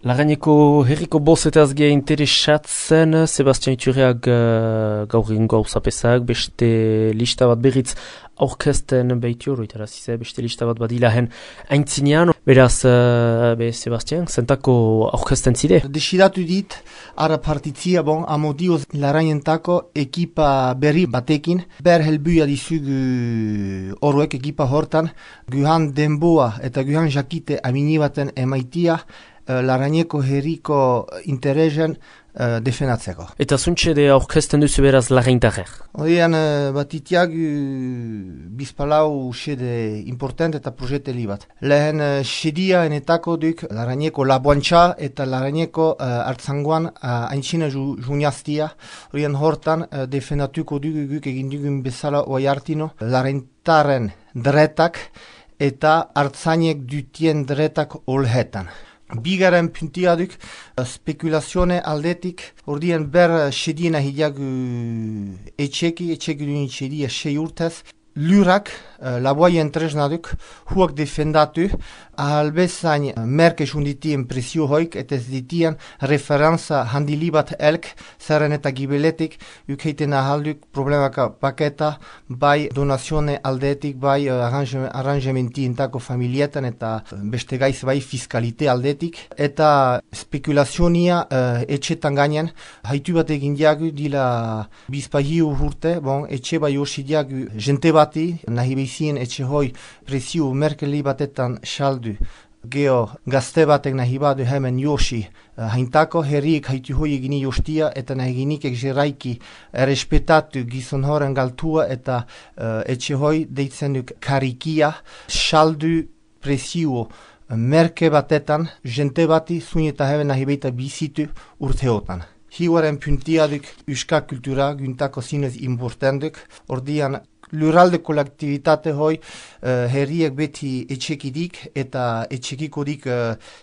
Lagaineko herriko bozetaz geha interesatzen, Sebastian Iturriak gaur egun gauzapezak, beste lista bat berriz aurkezten behitu, beste lista bat badilahen aintzinean. Beraz, Sebastian, zentako aurkezten zide? Desiratu dit, ara partitzia amodioz larainentako ekipa berri batekin, ber helbuia dizugu horrek ekipa hortan, guhan denboa eta guhan jakite amini baten emaitia, Laraineko herriko interesen defendatzeko. Eta zuntxe de aurkezten duzu beraz laraintarrer? Horian batitiak bizpalau xede important eta projeteli bat. Lehen xedia enetako duk Laraineko laboantxa eta Laraineko hartzangoan haintxina juniaztia. Horian hortan defendatuko dugu guk egin dugun bezala oai hartino. Laraintaren dretak eta hartzainek dutien dretak olhetan. Bigaren puntia duk, spekulazione aldetik, ordien ber xediena hidiagu etxeki duen xedia 6 urtez, lurak, laboaien tresna duk, huak defendatu, ahalbezain merkez unditien presio hoik, eta ez ditien referenza handilibat elk, zerren eta gibeletik, ukeiten ahalduk problemaka paketa, bai donazione aldetik, bai arrangementientako familietan, eta beste gaiz bai fiskalite aldetik, eta spekulazionia etxetan gainen, haitu bat egin diagu, dila bizpahiu urte, etxe bai hosi diagu jente bati, nahi behizien etxe hoi presio merkeli batetan saldu. Geo gazte batek nahi badu hemen josi haintako herriek haitu hoi egini jostia eta nahi ginikek jeraiki respetatu gizon horen galtua eta etxe hoi deitzen duk karikia saldu presio merke batetan jente bati zun eta hemen nahi behita bizitu urteotan. Hiuaren puntia duk uska kultura güntako zinez importanduk, ordian lurralde kolektivitate hoi herriek beti etxekidik eta etxekikodik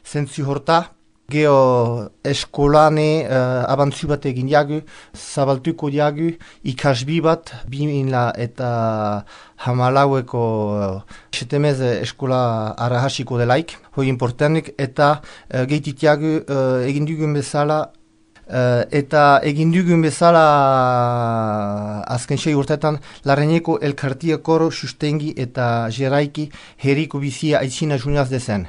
zentzu horta. Geo eskolane abantzu bat egin jagu, zabaltuko jagu, ikasbi bat, 2000 eta hamalaueko setemez eskola arahasiko delaik, hoi importanik, eta gehitit jagu egin dugun bezala, azken 6 urtetan Laraineko elkartia koro sustengi eta jeraiki herriko bizia aitzina juniaz dezen.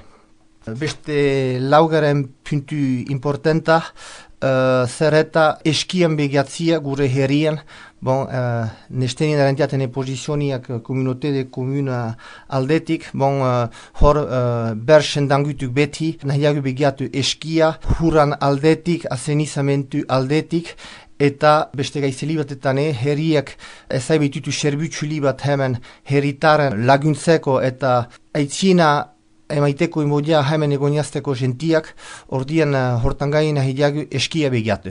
Beste laugaren puntu importanta, zerreta eskian begiatzia gure herrien, nestenien erentiaten pozizioniak komunote de komuna aldetik, hor bersen dangutuk beti, nahiagu begiatu eskia, huran aldetik, azenizamentu aldetik, eta beste gaizeli batetan herriak ezaibitutu serbutxuli bat hemen herritaren laguntzeko eta aitzina emaiteko imodia hemen egoniazteko gentiak, ordian hortan gaina hidiagu eskia begiatu.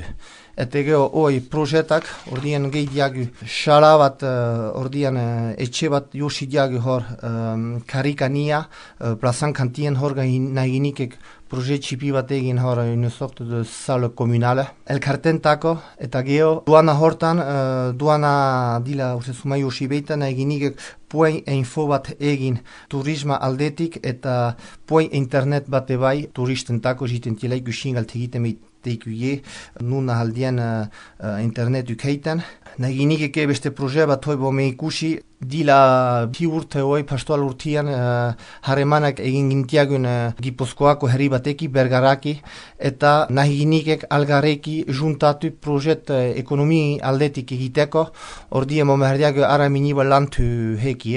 Eta geho hoi projetak, ordian gehi diagu xala bat, ordian etxe bat josi diagu hor karikania, plazan kantien hor nahi ginikek projet txipi bat egin hor une sorte de salle komunale. Elkartentako eta geho duana hortan, duana dila sumai josi beita nahi ginikek poen info bat egin turisma aldetik eta poen internet bat ebai turistentako jiten tielaik guxingal tegiten teikuie, nuna haldien internet ukeiten. Naginikeke beste proje bat hoi me ikusi, dila bi urte hoi pastoal urtian haremanak egin gintiagun Gipuzkoako herri bateki, Bergaraki, eta naginikek algareki juntatu projet ekonomi aldetik egiteko, ordien momerdiago ara miniba lantu heki,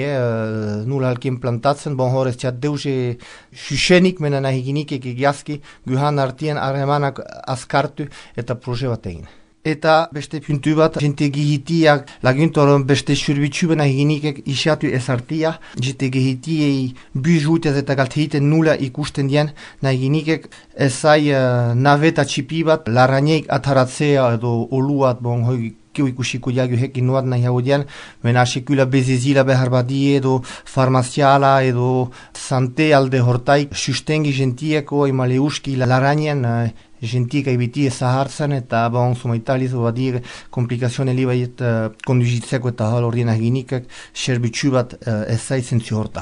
nula halkien plantatzen, horrez txat deuze xuxenik mena naginikek egiazki, guhan artien haremanak askartu eta proje bat egin. Eta beste puntu bat, jente gehitiak laguntoron beste surbitxu bena eginikek isiatu ezartia, jente gehitiei bujutez eta galtehiten nula ikusten dien, nahi ginikek ezai naveta txipi bat, laraineik ataratzea edo oluat, hoi ikusiko jagu hekin nuat nahi hau dien, mena sekula bezezila behar badie edo farmaziala edo sante alde hortaik sustengi jentieko emaleuski larainen gentiek aibiti ezahartzen eta sumaitaliz badir komplikazione li baiet konduzitzeko eta hal ordien aginikak serbitxu bat ezai zentzu horta.